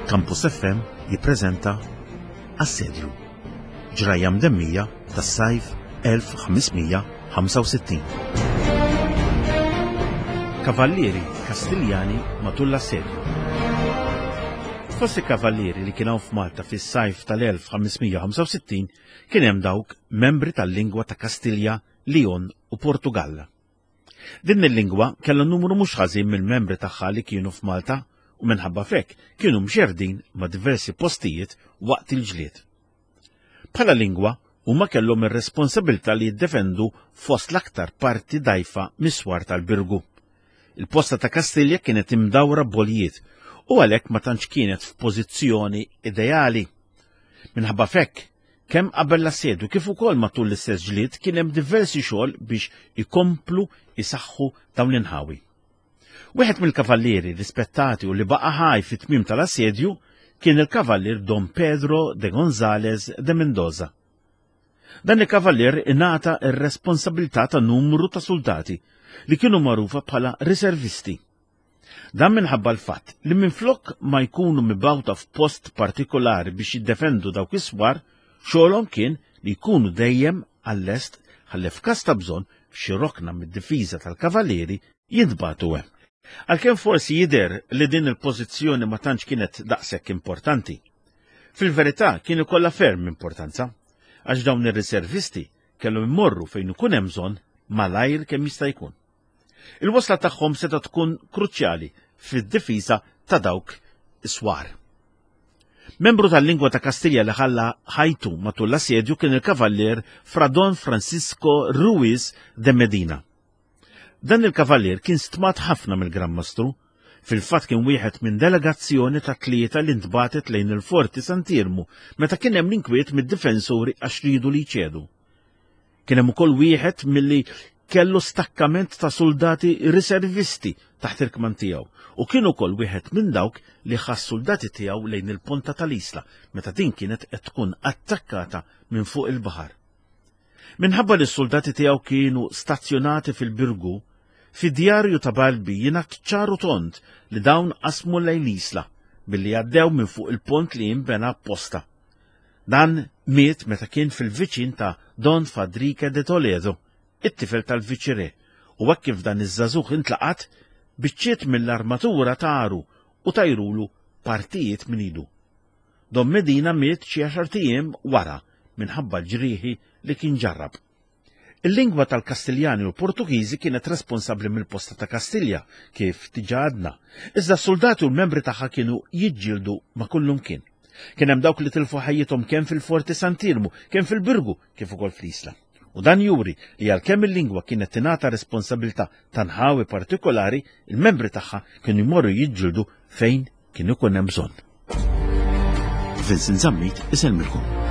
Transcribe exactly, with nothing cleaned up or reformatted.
Campus F M jippreżenta Assedju, ġrajja mdemmija tas-sajf elf ħames mija ħamsa u sittin. Kavallieri Kastiljani matul l-assedju. Fost il-kavallieri li kien hawn f'Malta fis-sajf tal-elf ħames mija ħamsa u sittin kien hemm dawk membri tal-lingwa ta' Kastilja, Leon u Portugall. Din il-lingwa kellha numru mhux ħażin mill-membri tagħha li kienu f'Malta u minħabba f'hekk kienu mxerdin ma' diversi postijiet waqt il-ġlied. Bħala lingwa, huma kellhom ir-responsabilità li jiddefendu fost l-aktar parti dajfa mis-swar tal-Birgu. Il-posta ta' Kastilja kienet imdawra b'boljiet u għalhekk ma tantx kienet f'pożizzjoni ideali. Minħabba f'hekk, kemm qabel l-assedju kif ukoll matul l-istess ġlied kien hemm diversi xogħol biex ikomplu isaħħu dawn l-inħawi. Wieħed mill-kavallieri rispettati u li baqa' ħaj fit-tmiem tal-assedju kien il-kavallier Don Pedro de González de Mendoza. Dan il-kavallier ingħata r-responsabilità ta' numru ta' soldati li kienu magħrufa bħala riservisti. Dan minħabba l-fatt li minflok ma jkunu mibgħuta f'post partikolari biex jiddefendu dawk is-swar, xogħolhom kien li jkunu dejjem għall-lest ħalli f'każ ta' bżonn f'xi rokna mid-difiża tal-kavallieri jintbagħtu hemm. Għalkemm forsi jidher li din il-pożizzjoni ma tantx kienet daqshekk importanti. Fil-verità kien ikollha ferm importanza, għax dawn ir-riservisti kellhom imorru fejn ikun hemm bżonn malajr kemm jista' jkun. Il-wasla tagħhom seta' tkun kruċjali fid-difiża ta' dawk is-swar. Membru tal-lingwa ta' Kastilja li ħalla ħajtu matul l-assedju kien il-kavallier Fra Don Francisco Ruiz de Medina. Dan il-kavallier kien stmat ħafna mill-Gran Mastru, fil-fatt kien wieħed minn delegazzjoni ta' tlieta li ntbatet lejn il-Forti Sant'Iermu meta kien hemm l-inkwiet mid-difensuri għax ridu li jċedu. Kien hemm ukoll wieħed milli kellu stakkament ta' soldati riservisti taħt il-kman tiegħu u kien ukoll wieħed minn dawk li ħass soldati tiegħu lejn il-ponta tal-Isla meta din kienet qed tkun attakkata minn fuq il-baħar. Minħabba li s-soldati tiegħu kienu stazzjonati fil-Birgu, fid-djarju ta' Balbi jingħad ċaru tond li dawn qasmu lejn l-Isla billi għaddew minn fuq il-pont li jinbena apposta. Dan miet meta kien fil-viċin ta' Don Fadrique de Toledo, it-tifel tal-viċire, u hekk kif dan iż-żagħżugħ intlaqat, biċċiet mill-armatura taru u tajrulu partijiet minn idu. Don Medina miet xi għaxart ijiem wara minħabba l-ġrieħi li kien ġarrab. Il-lingwa tal-Kastiljani u l-Portugiżi kienet responsabbli mill-posta ta' Kastilja, kif diġà għadna, iżda s-soldati u l-membri tagħha kienu jiġġieldu ma' kullum kien. Kien hemm dawk li tilfu ħajjithom kemm fil-Forti Sant'Iermu, kemm fil-Birgu, kif ukoll fl-Isla. U dan juri li għalkemm il-lingwa kienet tingħata responsabilità ta' nħawi partikolari, il-membri tagħha kienu jmorru jiġġieldu fejn kien ikun hemm bżonn. Vincent Zammit isellmilkom.